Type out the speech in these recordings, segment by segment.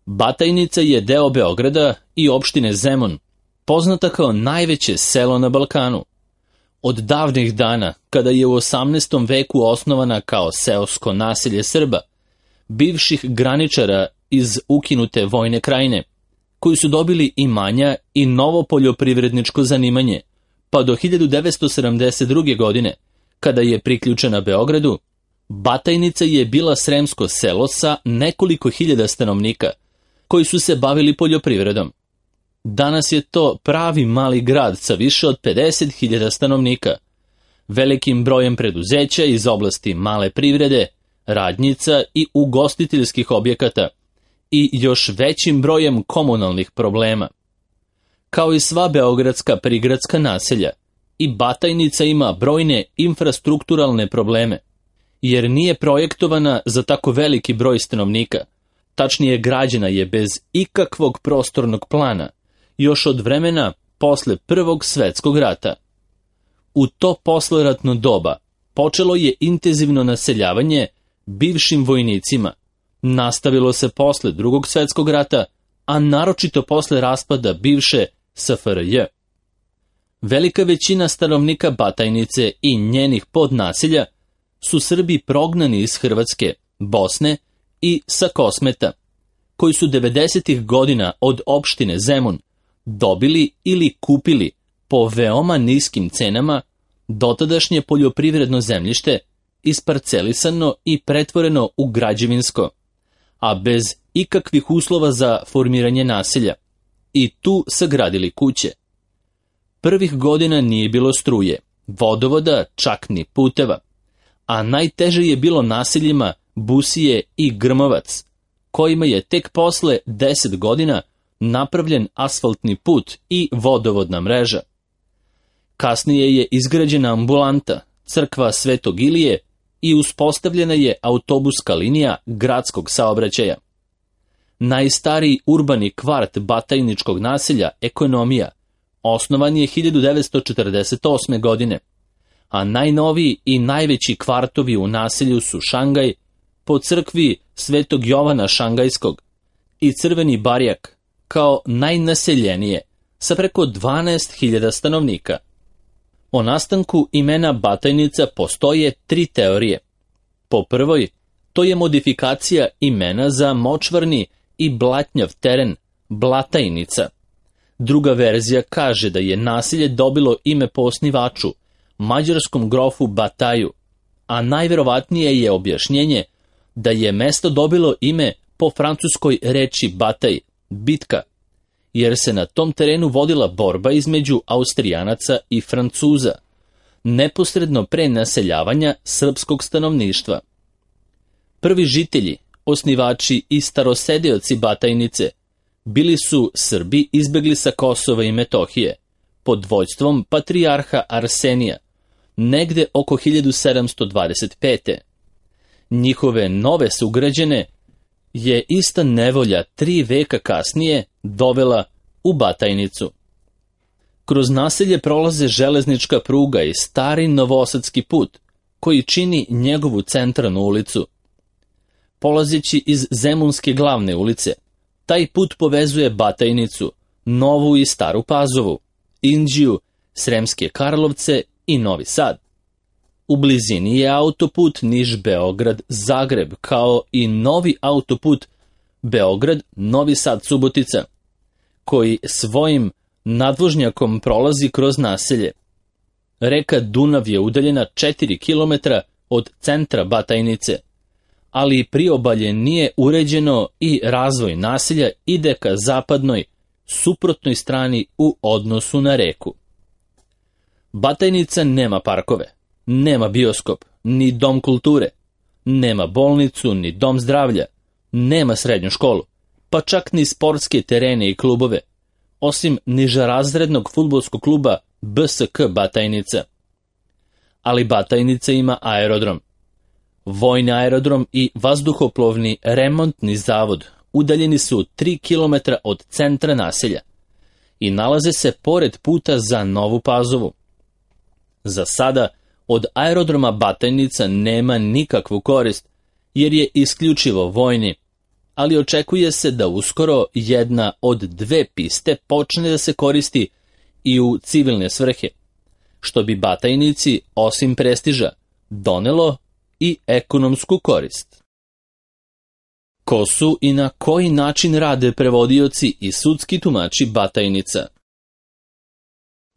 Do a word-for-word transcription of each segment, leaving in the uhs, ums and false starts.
Batajnica je deo Beograda i opštine Zemun, poznata kao najveće selo na Balkanu. Od davnih dana, kada je u osamnaestom veku osnovana kao seosko naselje Srba, bivših graničara iz ukinute Vojne Krajine, koji su dobili imanja i novo poljoprivredničko zanimanje, pa do hiljadu devetsto sedamdeset druge. godine, kada je priključena Beogradu, Batajnica je bila sremsko selo sa nekoliko hiljada stanovnika, koji su se bavili poljoprivredom. Danas je to pravi mali grad sa više od pedeset hiljada stanovnika, velikim brojem preduzeća iz oblasti male privrede, radnjica i ugostiteljskih objekata i još većim brojem komunalnih problema. Kao i sva beogradska prigradska naselja, i Batajnica ima brojne infrastrukturalne probleme, jer nije projektovana za tako veliki broj stanovnika, tačnije građena je bez ikakvog prostornog plana, još od vremena posle Prvog svetskog rata. U to posleratno doba počelo je intenzivno naseljavanje bivšim vojnicima, nastavilo se posle Drugog svetskog rata, a naročito posle raspada bivše S F R J. Velika većina stanovnika Batajnice i njenih podnaselja su Srbi prognani iz Hrvatske, Bosne i sa Kosmeta, koji su devedesetih godina od opštine Zemun dobili ili kupili po veoma niskim cenama dotadašnje poljoprivredno zemljište, isparcelisano i pretvoreno u građevinsko, a bez ikakvih uslova za formiranje naselja, i tu sagradili kuće. Prvih godina nije bilo struje, vodovoda, čak ni puteva, a najteže je bilo naseljima Busije i Grmovac, kojima je tek posle deset godina napravljen asfaltni put i vodovodna mreža. Kasnije je izgrađena ambulanta, crkva Svetog Ilije i uspostavljena je autobuska linija gradskog saobraćaja. Najstariji urbani kvart batajničkog naselja, Ekonomija, osnovan je hiljadu devetsto četrdeset osme. godine, a najnoviji i najveći kvartovi u naselju su Šangaj, po crkvi Svetog Jovana Šangajskog, i Crveni barjak, kao najnaseljenije, sa preko dvanaest hiljada stanovnika. O nastanku imena Batajnica postoje tri teorije. Po prvoj, to je modifikacija imena za močvarni i blatnjav teren Blatajnica. Druga verzija kaže da je naselje dobilo ime po osnivaču, mađarskom grofu Bataju, a najverovatnije je objašnjenje da je mesto dobilo ime po francuskoj reči bataj, bitka, jer se na tom terenu vodila borba između Austrijanaca i Francuza, neposredno pre naseljavanja srpskog stanovništva. Prvi žitelji, osnivači i starosedioci Batajnice, bili su Srbi izbegli sa Kosova i Metohije, pod vođstvom patrijarha Arsenija, negde oko hiljadu sedamsto dvadeset pete. Njihove nove sugrađane je ista nevolja tri veka kasnije dovela u Batajnicu. Kroz naselje prolaze železnička pruga i stari novosadski put, koji čini njegovu centralnu ulicu. Polazeći iz Zemunske glavne ulice, taj put povezuje Batajnicu, Novu i Staru Pazovu, Inđiju, Sremske Karlovce i Novi Sad. U blizini je autoput Niš-Beograd-Zagreb, kao i novi autoput Beograd-Novi Sad-Subotica, koji svojim nadvožnjakom prolazi kroz naselje. Reka Dunav je udaljena četiri kilometra od centra Batajnice, ali priobalje nije uređeno i razvoj naselja ide ka zapadnoj, suprotnoj strani u odnosu na reku. Batajnica nema parkove, nema bioskop, ni dom kulture, nema bolnicu, ni dom zdravlja, nema srednju školu, pa čak ni sportske terene i klubove, osim nižerazrednog fudbalskog kluba B S K Batajnica. Ali Batajnica ima aerodrom. Vojni aerodrom i vazduhoplovni remontni zavod udaljeni su tri kilometra od centra naselja i nalaze se pored puta za Novu Pazovu. Za sada od aerodroma Batajnica nema nikakvu korist, jer je isključivo vojni, ali očekuje se da uskoro jedna od dve piste počne da se koristi i u civilne svrhe, što bi Batajnici, osim prestiža, donelo i ekonomsku korist. Ko su i na koji način rade prevodioci i sudski tumači Batajnica?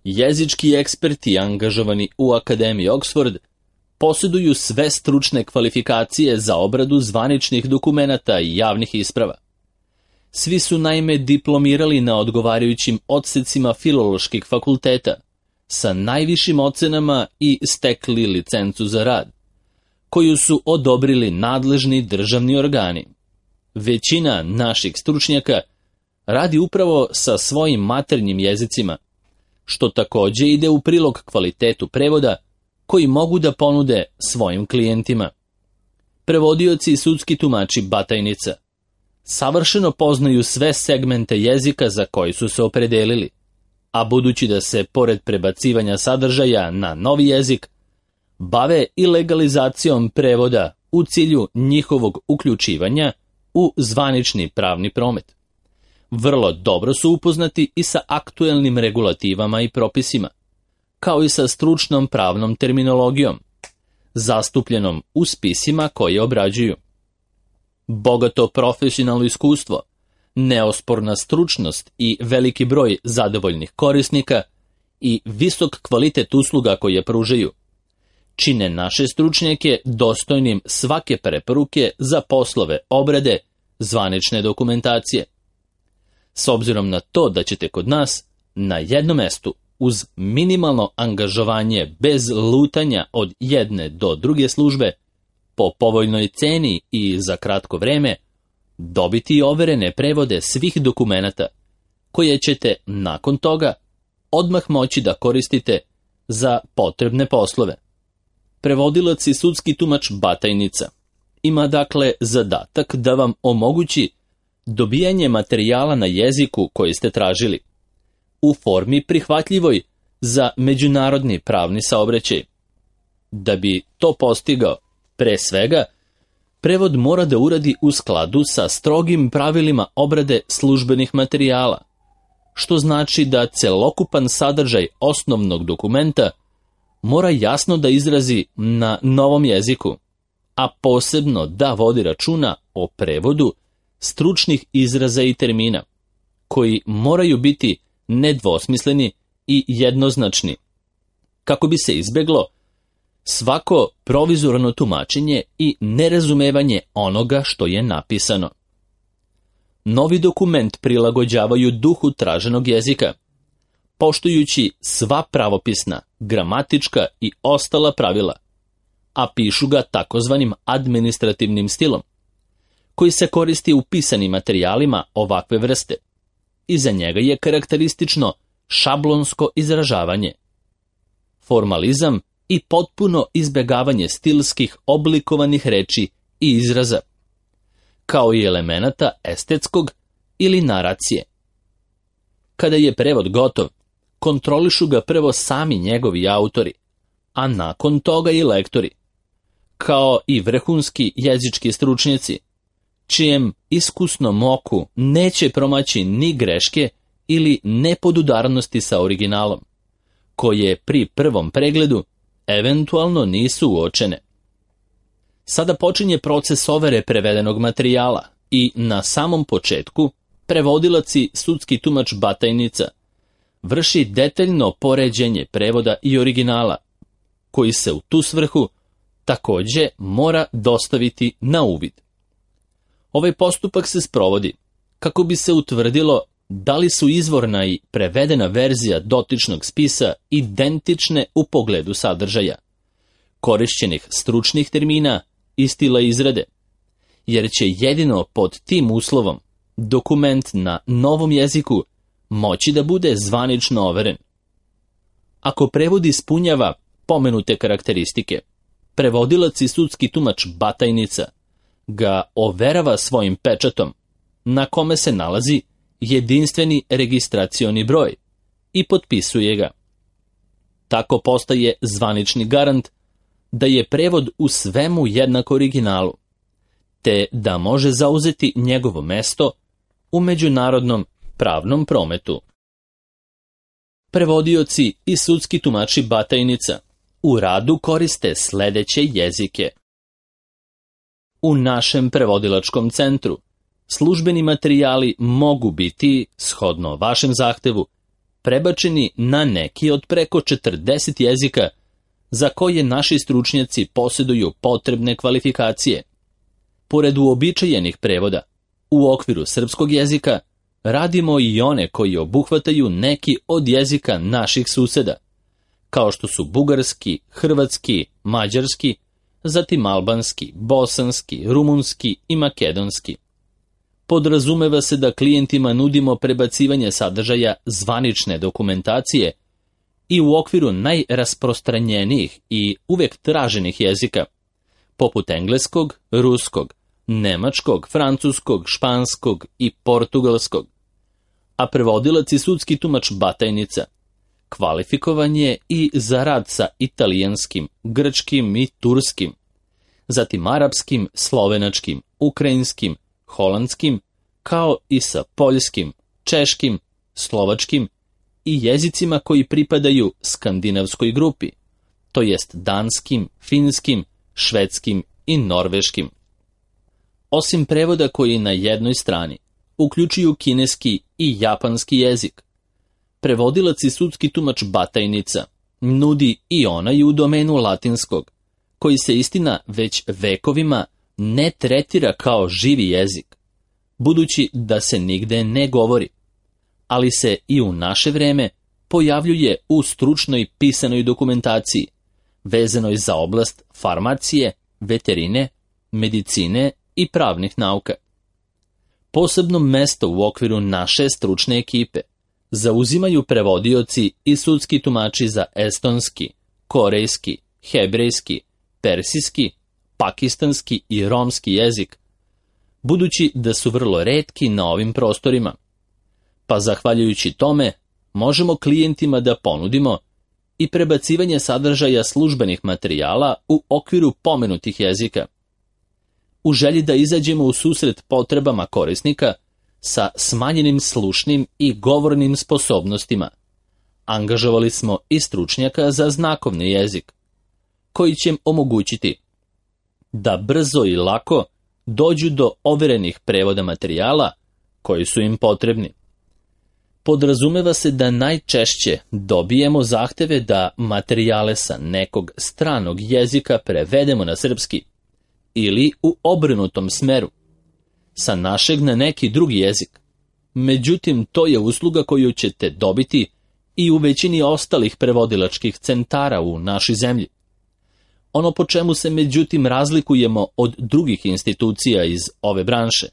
Jezički eksperti angažovani u Akademiji Oxford posjeduju sve stručne kvalifikacije za obradu zvaničnih dokumenata i javnih isprava. Svi su naime diplomirali na odgovarajućim odsecima filoloških fakulteta, sa najvišim ocenama i stekli licencu za rad, koju su odobrili nadležni državni organi. Većina naših stručnjaka radi upravo sa svojim maternjim jezicima, što takođe ide u prilog kvalitetu prevoda koji mogu da ponude svojim klijentima. Prevodioci i sudski tumači Batajnica savršeno poznaju sve segmente jezika za koji su se opredelili, a budući da se, pored prebacivanja sadržaja na novi jezik, bave i legalizacijom prevoda u cilju njihovog uključivanja u zvanični pravni promet. Vrlo dobro su upoznati i sa aktuelnim regulativama i propisima, kao i sa stručnom pravnom terminologijom, zastupljenom u spisima koje obrađuju. Bogato profesionalno iskustvo, neosporna stručnost i veliki broj zadovoljnih korisnika i visok kvalitet usluga koje pružaju čine naše stručnjake dostojnim svake preporuke za poslove obrade zvanične dokumentacije. S obzirom na to da ćete kod nas na jednom mestu uz minimalno angažovanje bez lutanja od jedne do druge službe, po povoljnoj ceni i za kratko vreme, dobiti overene prevode svih dokumenata, koje ćete nakon toga odmah moći da koristite za potrebne poslove. Prevodilac i sudski tumač Batajnica ima dakle zadatak da vam omogući dobijanje materijala na jeziku koji ste tražili, u formi prihvatljivoj za međunarodni pravni saobraćaj. Da bi to postigao, pre svega, prevod mora da uradi u skladu sa strogim pravilima obrade službenih materijala, što znači da celokupan sadržaj osnovnog dokumenta mora jasno da izrazi na novom jeziku, a posebno da vodi računa o prevodu stručnih izraza i termina, koji moraju biti nedvosmisleni i jednoznačni, kako bi se izbeglo svako provizorno tumačenje i nerazumevanje onoga što je napisano. Novi dokument prilagođavaju duhu traženog jezika, poštujući sva pravopisna, gramatička i ostala pravila, a pišu ga takozvanim administrativnim stilom, koji se koristi u pisanim materijalima ovakve vrste. Iza njega je karakteristično šablonsko izražavanje, formalizam i potpuno izbegavanje stilskih oblikovanih reči i izraza, kao i elemenata estetskog ili naracije. Kada je prevod gotov, kontrolišu ga prvo sami njegovi autori, a nakon toga i lektori, kao i vrhunski jezički stručnjaci, čijem iskusnom oku neće promaći ni greške ili nepodudarnosti sa originalom, koje pri prvom pregledu eventualno nisu uočene. Sada počinje proces overe prevedenog materijala i na samom početku prevodilac i sudski tumač Batajnica vrši detaljno poređenje prevoda i originala, koji se u tu svrhu takođe mora dostaviti na uvid. Ovaj postupak se sprovodi kako bi se utvrdilo da li su izvorna i prevedena verzija dotičnog spisa identične u pogledu sadržaja, korišćenih stručnih termina i stila izrade, jer će jedino pod tim uslovom dokument na novom jeziku moći da bude zvanično overen. Ako prevod ispunjava pomenute karakteristike, prevodilac i sudski tumač Batajnica ga overava svojim pečatom, na kome se nalazi jedinstveni registracioni broj, i potpisuje ga. Tako postaje zvanični garant da je prevod u svemu jednak originalu, te da može zauzeti njegovo mesto u međunarodnom pravnom prometu. Prevodioci i sudski tumači Batajnica u radu koriste sledeće jezike. U našem prevodilačkom centru službeni materijali mogu biti, shodno vašem zahtevu, prebačeni na neki od preko četrdeset jezika za koje naši stručnjaci posjeduju potrebne kvalifikacije. Pored uobičajenih prevoda, u okviru srpskog jezika radimo i one koji obuhvataju neki od jezika naših suseda, kao što su bugarski, hrvatski, mađarski, zatim albanski, bosanski, rumunski i makedonski. Podrazumeva se da klijentima nudimo prebacivanje sadržaja zvanične dokumentacije i u okviru najrasprostranjenijih i uvek traženih jezika, poput engleskog, ruskog, nemačkog, francuskog, španskog i portugalskog. A prevodilac i sudski tumač Batajnica kvalifikovan je i za rad sa italijanskim, grčkim i turskim, zatim arapskim, slovenačkim, ukrajinskim, holandskim, kao i sa poljskim, češkim, slovačkim i jezicima koji pripadaju skandinavskoj grupi, to jest danskim, finskim, švedskim i norveškim. Osim prevoda koji na jednoj strani uključuju kineski i japanski jezik, prevodilac i sudski tumač Batajnica nudi i onaj u domenu latinskog, koji se istina već vekovima ne tretira kao živi jezik, budući da se nigde ne govori, ali se i u naše vreme pojavljuje u stručnoj pisanoj dokumentaciji, vezanoj za oblast farmacije, veterine, medicine i pravnih nauka. Posebno mesto u okviru naše stručne ekipe zauzimaju prevodioci i sudski tumači za estonski, korejski, hebrejski, persijski, pakistanski i romski jezik, budući da su vrlo retki na ovim prostorima. Pa zahvaljujući tome, možemo klijentima da ponudimo i prebacivanje sadržaja službenih materijala u okviru pomenutih jezika. U želji da izađemo u susret potrebama korisnika sa smanjenim slušnim i govornim sposobnostima, angažovali smo i stručnjaka za znakovni jezik, koji će im omogućiti da brzo i lako dođu do overenih prevoda materijala koji su im potrebni. Podrazumeva se da najčešće dobijemo zahteve da materijale sa nekog stranog jezika prevedemo na srpski ili u obrnutom smeru, sa našeg na neki drugi jezik. Međutim, to je usluga koju ćete dobiti i u većini ostalih prevodilačkih centara u našoj zemlji. Ono po čemu se međutim razlikujemo od drugih institucija iz ove branše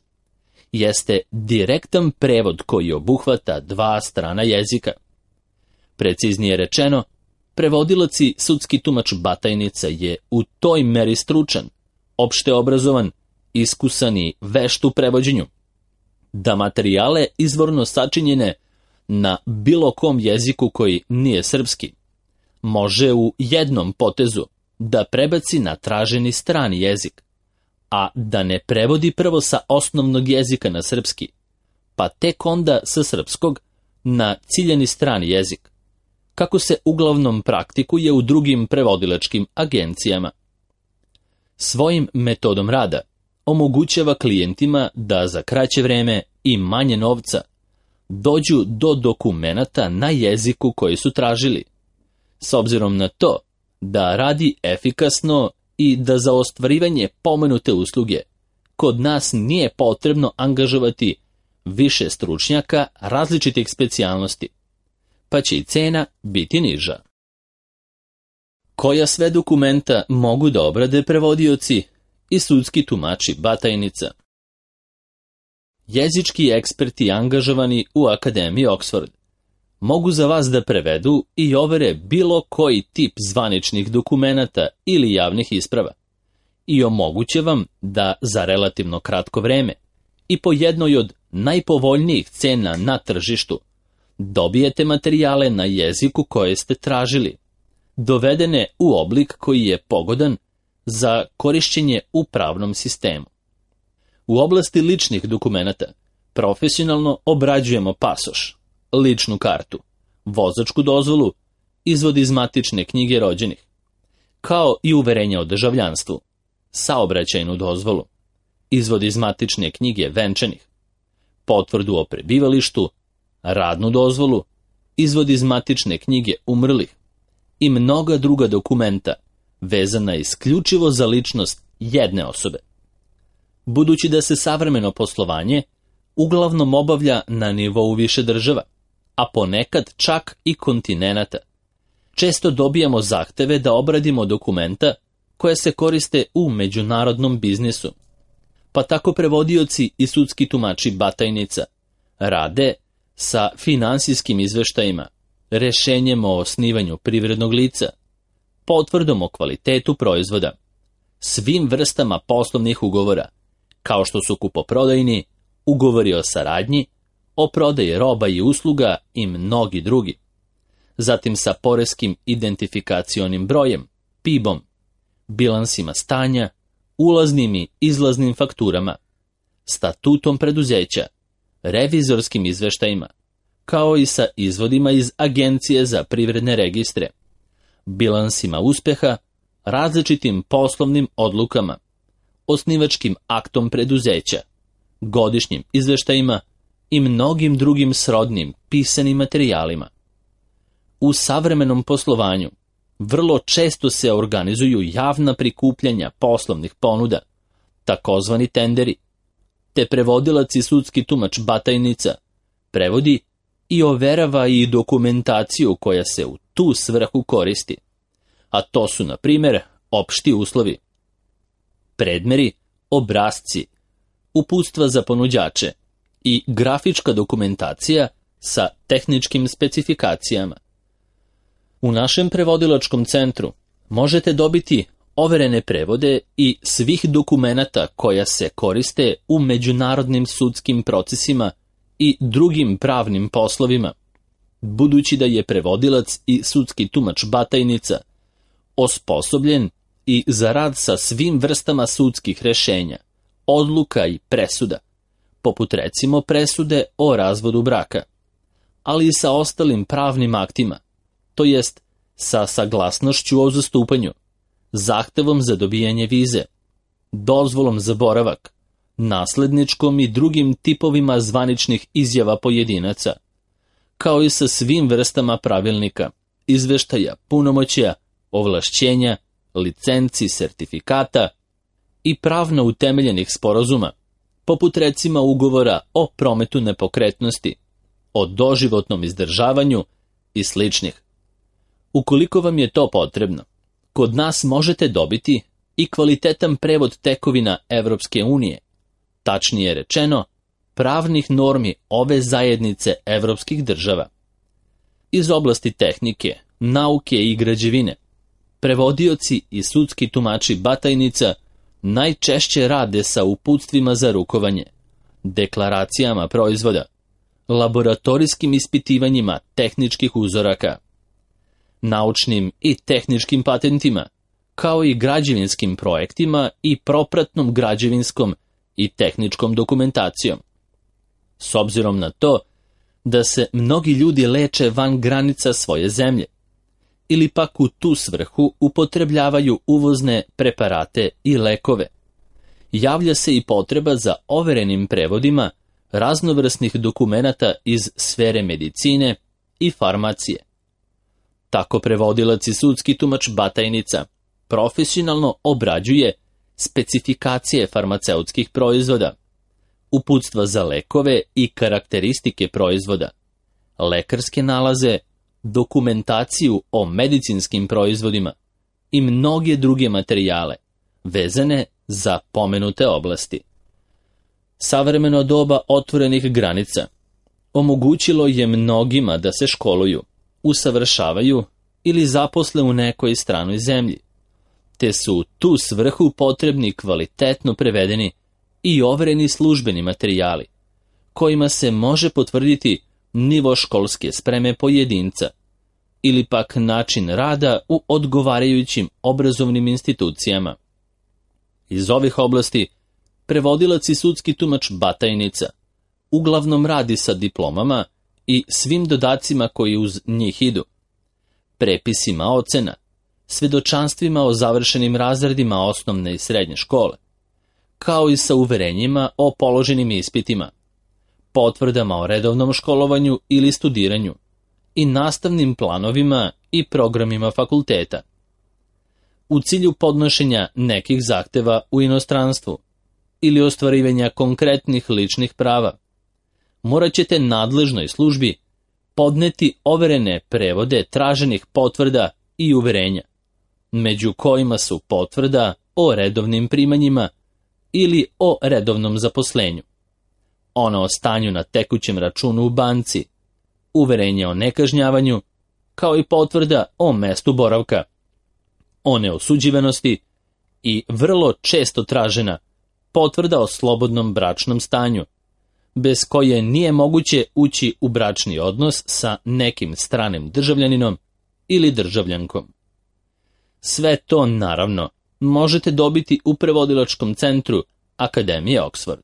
jeste direktan prevod koji obuhvata dva strana jezika. Preciznije rečeno, prevodilac i sudski tumač Batajnica je u toj meri stručan, opšte obrazovan, iskusan i vešt u prevođenju, da materijale izvorno sačinjene na bilo kom jeziku koji nije srpski može u jednom potezu da prebaci na traženi strani jezik, a da ne prevodi prvo sa osnovnog jezika na srpski, pa tek onda sa srpskog na ciljani strani jezik, kako se uglavnom praktikuje u drugim prevodilačkim agencijama. Svojim metodom rada omogućava klijentima da za kraće vreme i manje novca dođu do dokumenata na jeziku koji su tražili, s obzirom na to da radi efikasno i da za ostvarivanje pomenute usluge kod nas nije potrebno angažovati više stručnjaka različitih specijalnosti, pa će i cena biti niža. Koja sve dokumenta mogu da obrade prevodioci i sudski tumači Batajnica? Jezički eksperti angažovani u Akademiji Oxford mogu za vas da prevedu i overe bilo koji tip zvaničnih dokumenata ili javnih isprava i omoguće vam da za relativno kratko vreme i po jednoj od najpovoljnijih cena na tržištu dobijete materijale na jeziku koje ste tražili, dovedene u oblik koji je pogodan za korišćenje u pravnom sistemu. U oblasti ličnih dokumenata profesionalno obrađujemo pasoš, ličnu kartu, vozačku dozvolu, izvod iz matične knjige rođenih, kao i uverenja o državljanstvu, saobraćajnu dozvolu, izvod iz matične knjige venčanih, potvrdu o prebivalištu, radnu dozvolu, izvod iz matične knjige umrlih i mnoga druga dokumenta vezana isključivo za ličnost jedne osobe. Budući da se savremeno poslovanje uglavnom obavlja na nivou više država, a ponekad čak i kontinenata, često dobijamo zahteve da obradimo dokumenta koja se koriste u međunarodnom biznisu. Pa tako prevodioci i sudski tumači batajnica rade sa finansijskim izveštajima, rešenjem o osnivanju privrednog lica, potvrdom o kvalitetu proizvoda, svim vrstama poslovnih ugovora, kao što su kupoprodajni, ugovori o saradnji, o prodaji roba i usluga i mnogi drugi. Zatim sa poreskim identifikacionim brojem, P I B-om, bilansima stanja, ulaznim i izlaznim fakturama, statutom preduzeća, revizorskim izveštajima, kao i sa izvodima iz Agencije za privredne registre, bilansima uspeha, različitim poslovnim odlukama, osnivačkim aktom preduzeća, godišnjim izveštajima i mnogim drugim srodnim pisanim materijalima. U savremenom poslovanju vrlo često se organizuju javna prikupljanja poslovnih ponuda, takozvani tenderi, te prevodilac i sudski tumač batajnica prevodi i overava i dokumentaciju koja se u tu svrhu koristi, a to su, na primjer, opšti uslovi, predmeri, obrasci, uputstva za ponuđače i grafička dokumentacija sa tehničkim specifikacijama. U našem prevodilačkom centru možete dobiti overene prevode i svih dokumenata koja se koriste u međunarodnim sudskim procesima i drugim pravnim poslovima, budući da je prevodilac i sudski tumač batajnica osposobljen i za rad sa svim vrstama sudskih rešenja, odluka i presuda, poput recimo presude o razvodu braka, ali i sa ostalim pravnim aktima, to jest sa saglasnošću o zastupanju, zahtevom za dobijanje vize, dozvolom za boravak, nasledničkom i drugim tipovima zvaničnih izjava pojedinaca, kao i sa svim vrstama pravilnika, izveštaja, punomoćja, ovlašćenja, licenci, sertifikata i pravno utemeljenih sporazuma, poput recimo ugovora o prometu nepokretnosti, o doživotnom izdržavanju i sličnih. Ukoliko vam je to potrebno, kod nas možete dobiti i kvalitetan prevod tekovina Evropske unije, tačnije rečeno, pravnih normi ove zajednice evropskih država. Iz oblasti tehnike, nauke i građevine, prevodioci i sudski tumači batajnica najčešće rade sa uputstvima za rukovanje, deklaracijama proizvoda, laboratorijskim ispitivanjima tehničkih uzoraka, naučnim i tehničkim patentima, kao i građevinskim projektima i propratnom građevinskom i tehničkom dokumentacijom. S obzirom na to da se mnogi ljudi leče van granica svoje zemlje, ili pak u tu svrhu upotrebljavaju uvozne preparate i lekove, javlja se i potreba za overenim prevodima raznovrsnih dokumenata iz sfere medicine i farmacije. Tako prevodilac i sudski tumač batajnica profesionalno obrađuje specifikacije farmaceutskih proizvoda, uputstva za lekove i karakteristike proizvoda, lekarske nalaze, dokumentaciju o medicinskim proizvodima i mnoge druge materijale vezane za pomenute oblasti. Savremeno doba otvorenih granica omogućilo je mnogima da se školuju, usavršavaju ili zaposle u nekoj stranoj zemlji, te su u tu svrhu potrebni kvalitetno prevedeni i overeni službeni materijali, kojima se može potvrditi nivo školske spreme pojedinca ili pak način rada u odgovarajućim obrazovnim institucijama. Iz ovih oblasti prevodilac i sudski tumač Batajnica uglavnom radi sa diplomama i svim dodacima koji uz njih idu, prepisima ocena, svedočanstvima o završenim razredima osnovne i srednje škole, kao i sa uverenjima o položenim ispitima, potvrdama o redovnom školovanju ili studiranju i nastavnim planovima i programima fakulteta. U cilju podnošenja nekih zahteva u inostranstvu ili ostvarivanja konkretnih ličnih prava, morat ćete nadležnoj službi podneti overene prevode traženih potvrda i uverenja, među kojima su potvrda o redovnim primanjima ili o redovnom zaposlenju, ono o stanju na tekućem računu u banci, uverenje o nekažnjavanju, kao i potvrda o mestu boravka, o neosuđivanosti i vrlo često tražena potvrda o slobodnom bračnom stanju, bez koje nije moguće ući u bračni odnos sa nekim stranim državljaninom ili državljankom. Sve to, naravno, možete dobiti u prevodilačkom centru Akademije Oxford.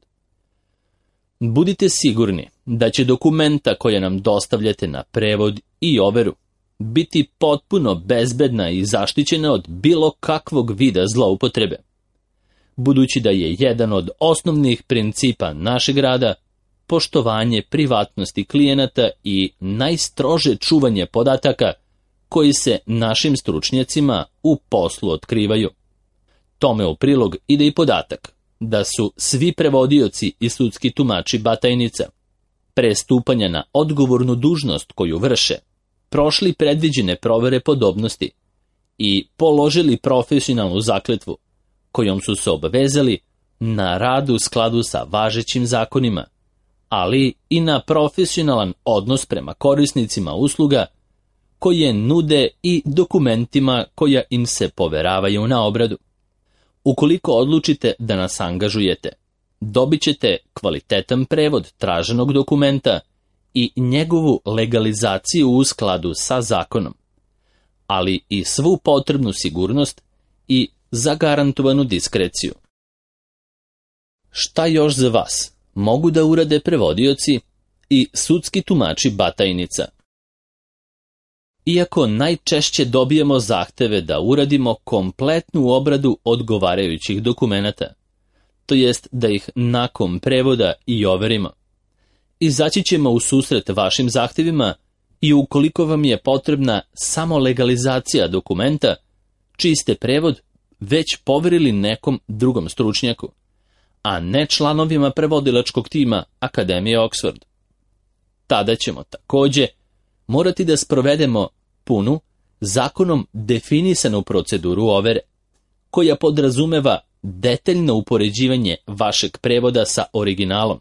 Budite sigurni da će dokumenta koje nam dostavljate na prevod i overu biti potpuno bezbedna i zaštićena od bilo kakvog vida zloupotrebe, budući da je jedan od osnovnih principa našeg rada poštovanje privatnosti klijenata i najstrože čuvanje podataka koji se našim stručnjacima u poslu otkrivaju. Tome u prilog ide i podatak da su svi prevodioci i sudski tumači Batajnica pre stupanja na odgovornu dužnost koju vrše prošli predviđene provere podobnosti i položili profesionalnu zakletvu kojom su se obavezali na rad u skladu sa važećim zakonima, ali i na profesionalan odnos prema korisnicima usluga koje nude i dokumentima koja im se poveravaju na obradu. Ukoliko odlučite da nas angažujete, dobit ćete kvalitetan prevod traženog dokumenta i njegovu legalizaciju u skladu sa zakonom, ali i svu potrebnu sigurnost i zagarantovanu diskreciju. Šta još za vas mogu da urade prevodioci i sudski tumači Batajnica? Iako najčešće dobijemo zahteve da uradimo kompletnu obradu odgovarajućih dokumenata, to jest da ih nakon prevoda i overimo, izaći ćemo u susret vašim zahtevima i ukoliko vam je potrebna samo legalizacija dokumenta, čiji ste prevod već poverili nekom drugom stručnjaku, a ne članovima prevodilačkog tima Akademije Oxford. Tada ćemo takođe morati da sprovedemo punu, zakonom definisanu proceduru overe, koja podrazumeva detaljno upoređivanje vašeg prevoda sa originalom,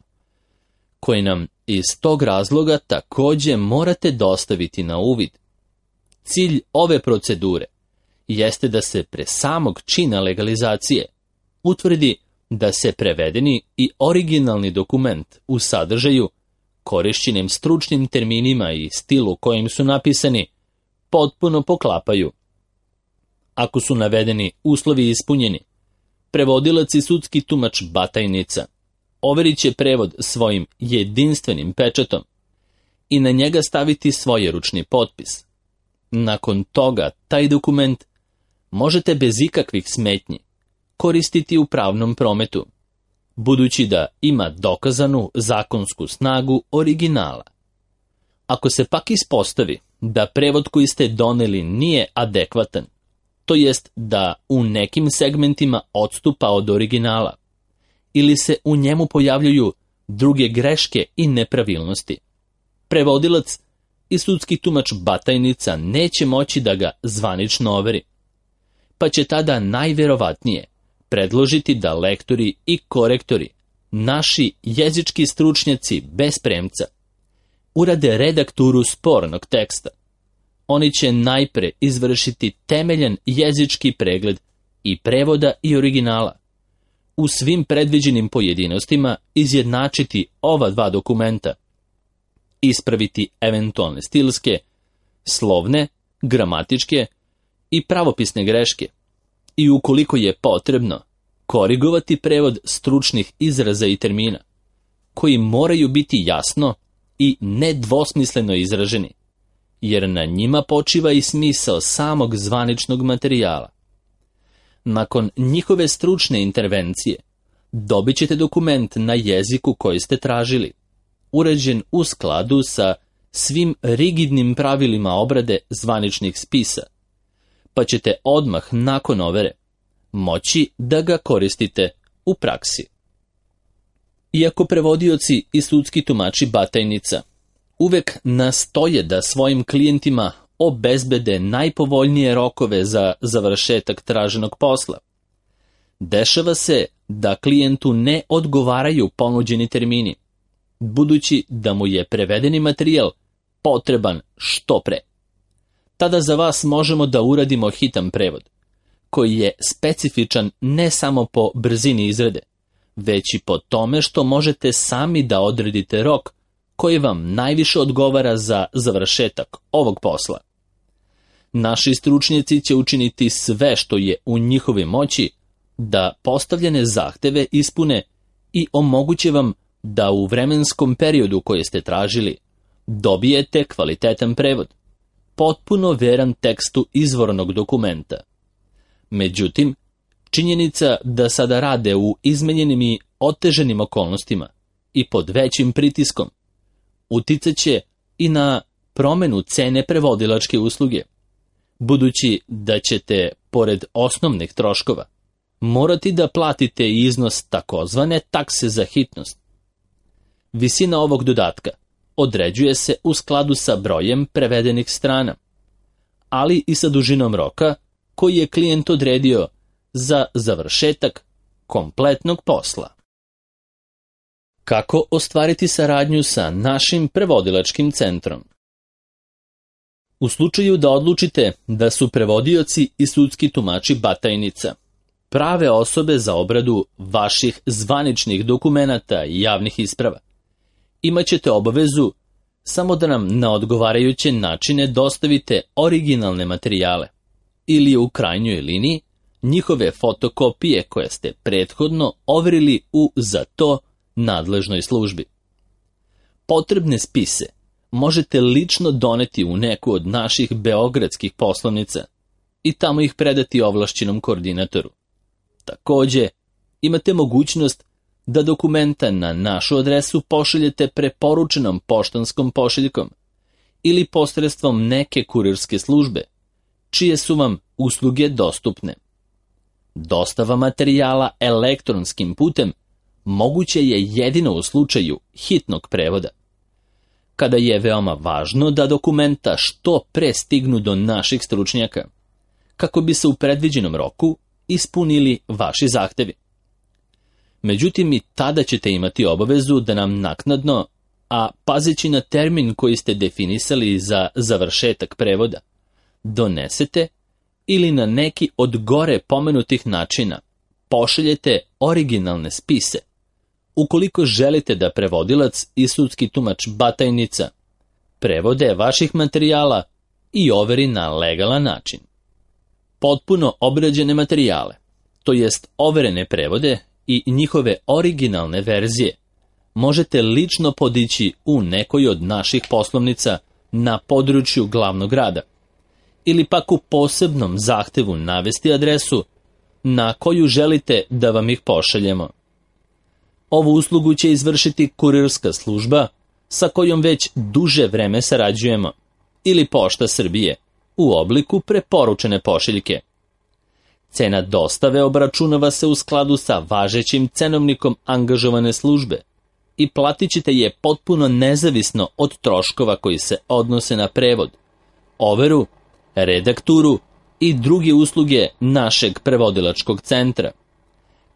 koji nam iz tog razloga takođe morate dostaviti na uvid. Cilj ove procedure jeste da se pre samog čina legalizacije utvrdi da se prevedeni i originalni dokument u sadržaju, korišćenim stručnim terminima i stilu kojim su napisani, potpuno poklapaju. Ako su navedeni uslovi ispunjeni, prevodilac i sudski tumač Batajnica overit će prevod svojim jedinstvenim pečatom i na njega staviti svoj ručni potpis. Nakon toga taj dokument možete bez ikakvih smetnji koristiti u pravnom prometu, budući da ima dokazanu zakonsku snagu originala. Ako se pak ispostavi da prevod koji ste doneli nije adekvatan, to jest da u nekim segmentima odstupa od originala, ili se u njemu pojavljuju druge greške i nepravilnosti, prevodilac i sudski tumač Batajnica neće moći da ga zvanično overi, pa će tada najverovatnije predložiti da lektori i korektori, naši jezički stručnjaci bez premca, urade redakturu spornog teksta. Oni će najpre izvršiti temeljan jezički pregled i prevoda i originala, u svim predviđenim pojedinostima izjednačiti ova dva dokumenta, ispraviti eventualne stilske, slovne, gramatičke i pravopisne greške i ukoliko je potrebno, korigovati prevod stručnih izraza i termina, koji moraju biti jasno i nedvosmisleno izraženi, jer na njima počiva i smisao samog zvaničnog materijala. Nakon njihove stručne intervencije, dobit ćete dokument na jeziku koji ste tražili, uređen u skladu sa svim rigidnim pravilima obrade zvaničnih spisa, pa ćete odmah nakon overe moći da ga koristite u praksi. Iako prevodioci i sudski tumači Batajnica uvek nastoje da svojim klijentima obezbede najpovoljnije rokove za završetak traženog posla, dešava se da klijentu ne odgovaraju ponuđeni termini, budući da mu je prevedeni materijal potreban što pre. Tada za vas možemo da uradimo hitan prevod, koji je specifičan ne samo po brzini izrade, već i po tome što možete sami da odredite rok koji vam najviše odgovara za završetak ovog posla. Naši stručnjaci će učiniti sve što je u njihovoj moći da postavljene zahteve ispune i omoguće vam da u vremenskom periodu koji ste tražili dobijete kvalitetan prevod, potpuno veran tekstu izvornog dokumenta. Međutim, činjenica da sada rade u izmenjenim i oteženim okolnostima i pod većim pritiskom uticat će i na promenu cene prevodilačke usluge, budući da ćete, pored osnovnih troškova, morati da platite iznos takozvane takse za hitnost. Visina ovog dodatka određuje se u skladu sa brojem prevedenih strana, ali i sa dužinom roka koji je klijent odredio za završetak kompletnog posla. Kako ostvariti saradnju sa našim prevodilačkim centrom? U slučaju da odlučite da su prevodioci i sudski tumači Batajnica prave osobe za obradu vaših zvaničnih dokumenata i javnih isprava, imaćete obavezu samo da nam na odgovarajuće načine dostavite originalne materijale ili u krajnjoj liniji njihove fotokopije koje ste prethodno overili u za to nadležnoj službi. Potrebne spise možete lično doneti u neku od naših beogradskih poslovnica i tamo ih predati ovlašćenom koordinatoru. Takođe, imate mogućnost da dokumenta na našu adresu pošaljete preporučenom poštanskom pošiljkom ili posredstvom neke kurirske službe, čije su vam usluge dostupne. Dostava materijala elektronskim putem moguće je jedino u slučaju hitnog prevoda, kada je veoma važno da dokumenta što pre stignu do naših stručnjaka, kako bi se u predviđenom roku ispunili vaši zahtevi. Međutim, i tada ćete imati obavezu da nam naknadno, a pazeći na termin koji ste definisali za završetak prevoda, donesete ili na neki od gore pomenutih načina pošaljete originalne spise, ukoliko želite da prevodilac i sudski tumač Batajnica prevode vaših materijala i overi na legalan način. Potpuno obrađene materijale, to jest overene prevode i njihove originalne verzije, možete lično podići u nekoj od naših poslovnica na području glavnog grada, ili pak u posebnom zahtevu navesti adresu na koju želite da vam ih pošaljemo. Ovu uslugu će izvršiti kurirska služba sa kojom već duže vreme sarađujemo, ili Pošta Srbije u obliku preporučene pošiljke. Cena dostave obračunava se u skladu sa važećim cenovnikom angažovane službe i platit ćete je potpuno nezavisno od troškova koji se odnose na prevod, overu, redakturu i druge usluge našeg prevodilačkog centra,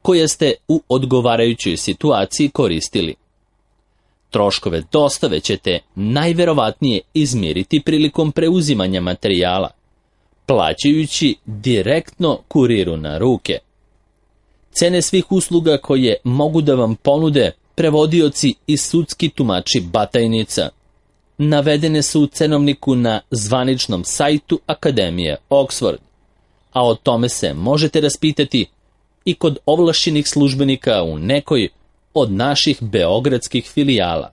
koje ste u odgovarajućoj situaciji koristili. Troškove dostave ćete najverovatnije izmjeriti prilikom preuzimanja materijala, plaćajući direktno kuriru na ruke. Cene svih usluga koje mogu da vam ponude prevodioci i sudski tumači Batajnica navedene su u cenovniku na zvaničnom sajtu Akademije Oxford, a o tome se možete raspitati i kod ovlašćenih službenika u nekoj od naših beogradskih filijala.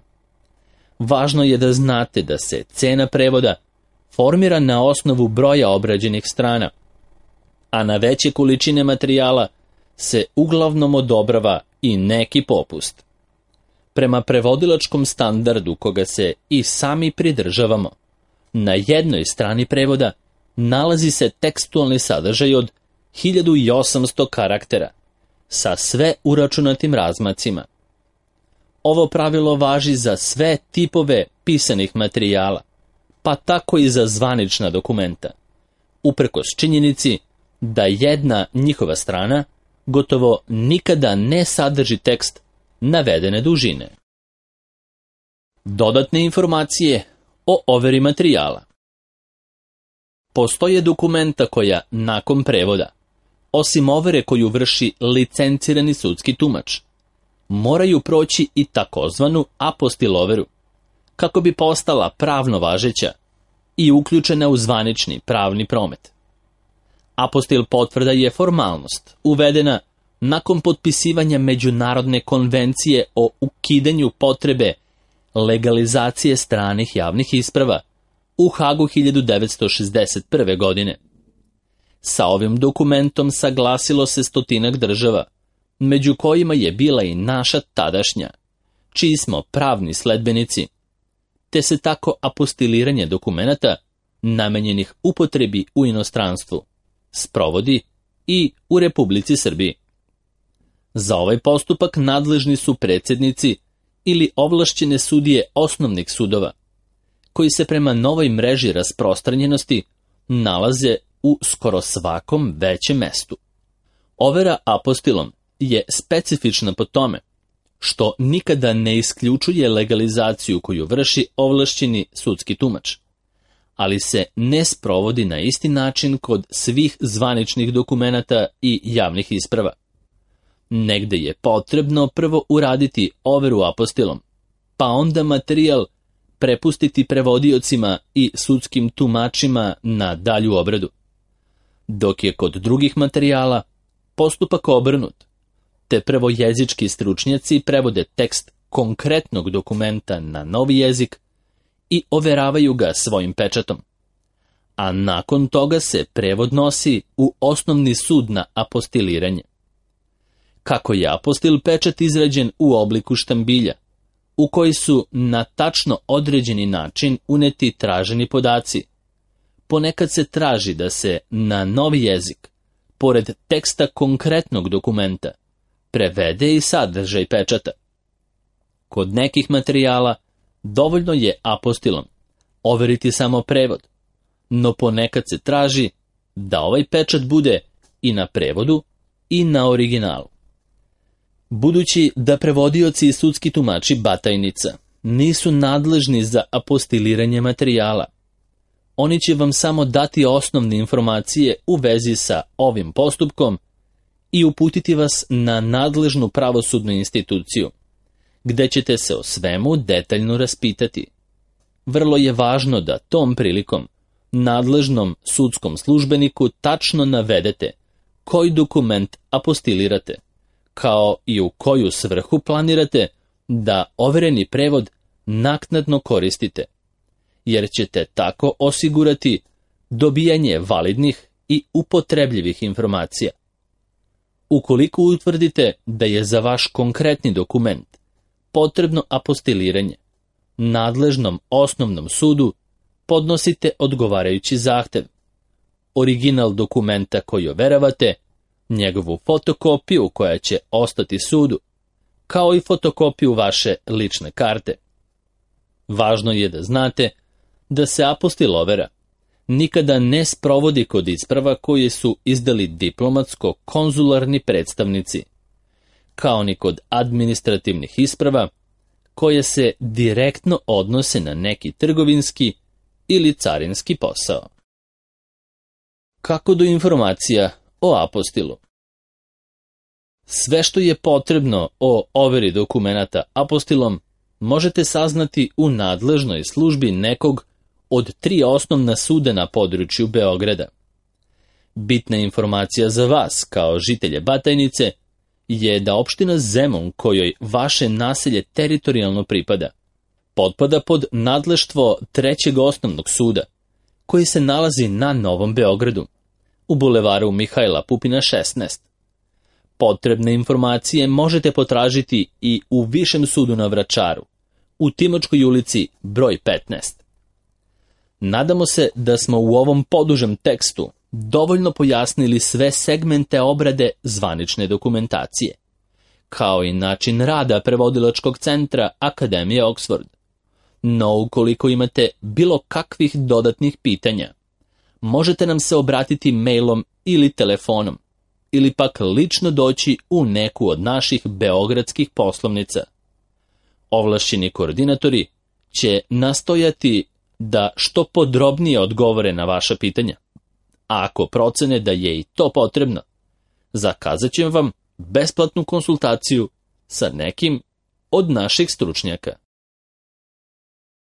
Važno je da znate da se cena prevoda formira na osnovu broja obrađenih strana, a na veće količine materijala se uglavnom odobrava i neki popust. Prema prevodilačkom standardu koga se i sami pridržavamo, na jednoj strani prevoda nalazi se tekstualni sadržaj od hiljadu osamsto karaktera sa sve uračunatim razmacima. Ovo pravilo važi za sve tipove pisanih materijala, pa tako i za zvanična dokumenta, uprkos činjenici da jedna njihova strana gotovo nikada ne sadrži tekst navedene dužine. Dodatne informacije o overi materijala. Postoje dokumenta koja, nakon prevoda, osim overe koju vrši licencirani sudski tumač, moraju proći i takozvanu apostil overu, kako bi postala pravno važeća i uključena u zvanični pravni promet. Apostil potvrda je formalnost, uvedena nakon potpisivanja Međunarodne konvencije o ukidanju potrebe legalizacije stranih javnih isprava u Hagu hiljadu devetsto šezdeset prve. godine. Sa ovim dokumentom saglasilo se stotinak država, među kojima je bila i naša tadašnja, čiji smo pravni sledbenici, te se tako apostiliranje dokumenata namenjenih upotrebi u inostranstvu sprovodi i u Republici Srbiji. Za ovaj postupak nadležni su predsjednici ili ovlašćene sudije osnovnih sudova, koji se prema novoj mreži rasprostranjenosti nalaze u skoro svakom većem mestu. Overa apostilom je specifična po tome što nikada ne isključuje legalizaciju koju vrši ovlašćeni sudski tumač, ali se ne sprovodi na isti način kod svih zvaničnih dokumenata i javnih isprava. Negde je potrebno prvo uraditi overu apostilom, pa onda materijal prepustiti prevodiocima i sudskim tumačima na dalju obradu, dok je kod drugih materijala postupak obrnut, te prvo jezički stručnjaci prevode tekst konkretnog dokumenta na novi jezik i overavaju ga svojim pečatom, a nakon toga se prevod nosi u osnovni sud na apostiliranje. Kako je apostil pečat izrađen u obliku štambilja, u koji su na tačno određeni način uneti traženi podaci, ponekad se traži da se na novi jezik, pored teksta konkretnog dokumenta, prevede i sadržaj pečata. Kod nekih materijala dovoljno je apostilom overiti samo prevod, no ponekad se traži da ovaj pečat bude i na prevodu i na originalu. Budući da prevodioci i sudski tumači Batajnica nisu nadležni za apostiliranje materijala, oni će vam samo dati osnovne informacije u vezi sa ovim postupkom i uputiti vas na nadležnu pravosudnu instituciju, gde ćete se o svemu detaljno raspitati. Vrlo je važno da tom prilikom nadležnom sudskom službeniku tačno navedete koji dokument apostilirate, kao i u koju svrhu planirate da overeni prevod naknadno koristite, jer ćete tako osigurati dobijanje validnih i upotrebljivih informacija. Ukoliko utvrdite da je za vaš konkretni dokument potrebno apostiliranje, nadležnom osnovnom sudu podnosite odgovarajući zahtev, original dokumenta koji overavate, njegovu fotokopiju koja će ostati sudu, kao i fotokopiju vaše lične karte. Važno je da znate da se apostil overa nikada ne sprovodi kod isprava koje su izdali diplomatsko-konzularni predstavnici, kao ni kod administrativnih isprava koje se direktno odnose na neki trgovinski ili carinski posao. Kako do informacija o apostilu? Sve što je potrebno o overi dokumenata apostilom možete saznati u nadležnoj službi nekog od tri osnovna suda na području Beograda. Bitna informacija za vas, kao žitelje Batajnice, je da opština Zemun, kojoj vaše naselje teritorijalno pripada, potpada pod nadleštvo Trećeg osnovnog suda, koji se nalazi na Novom Beogradu, u bulevaru Mihajla Pupina šesnaest. Potrebne informacije možete potražiti i u Višem sudu na Vračaru, u Timočkoj ulici broj petnaest. Nadamo se da smo u ovom podužem tekstu dovoljno pojasnili sve segmente obrade zvanične dokumentacije, kao i način rada prevodilačkog centra Akademije Oxford. No, ukoliko imate bilo kakvih dodatnih pitanja, možete nam se obratiti mailom ili telefonom, ili pak lično doći u neku od naših beogradskih poslovnica. Ovlašćeni koordinatori će nastojati da što podrobnije odgovore na vaša pitanja. A ako procene da je i to potrebno, zakazat ćemo vam besplatnu konsultaciju sa nekim od naših stručnjaka.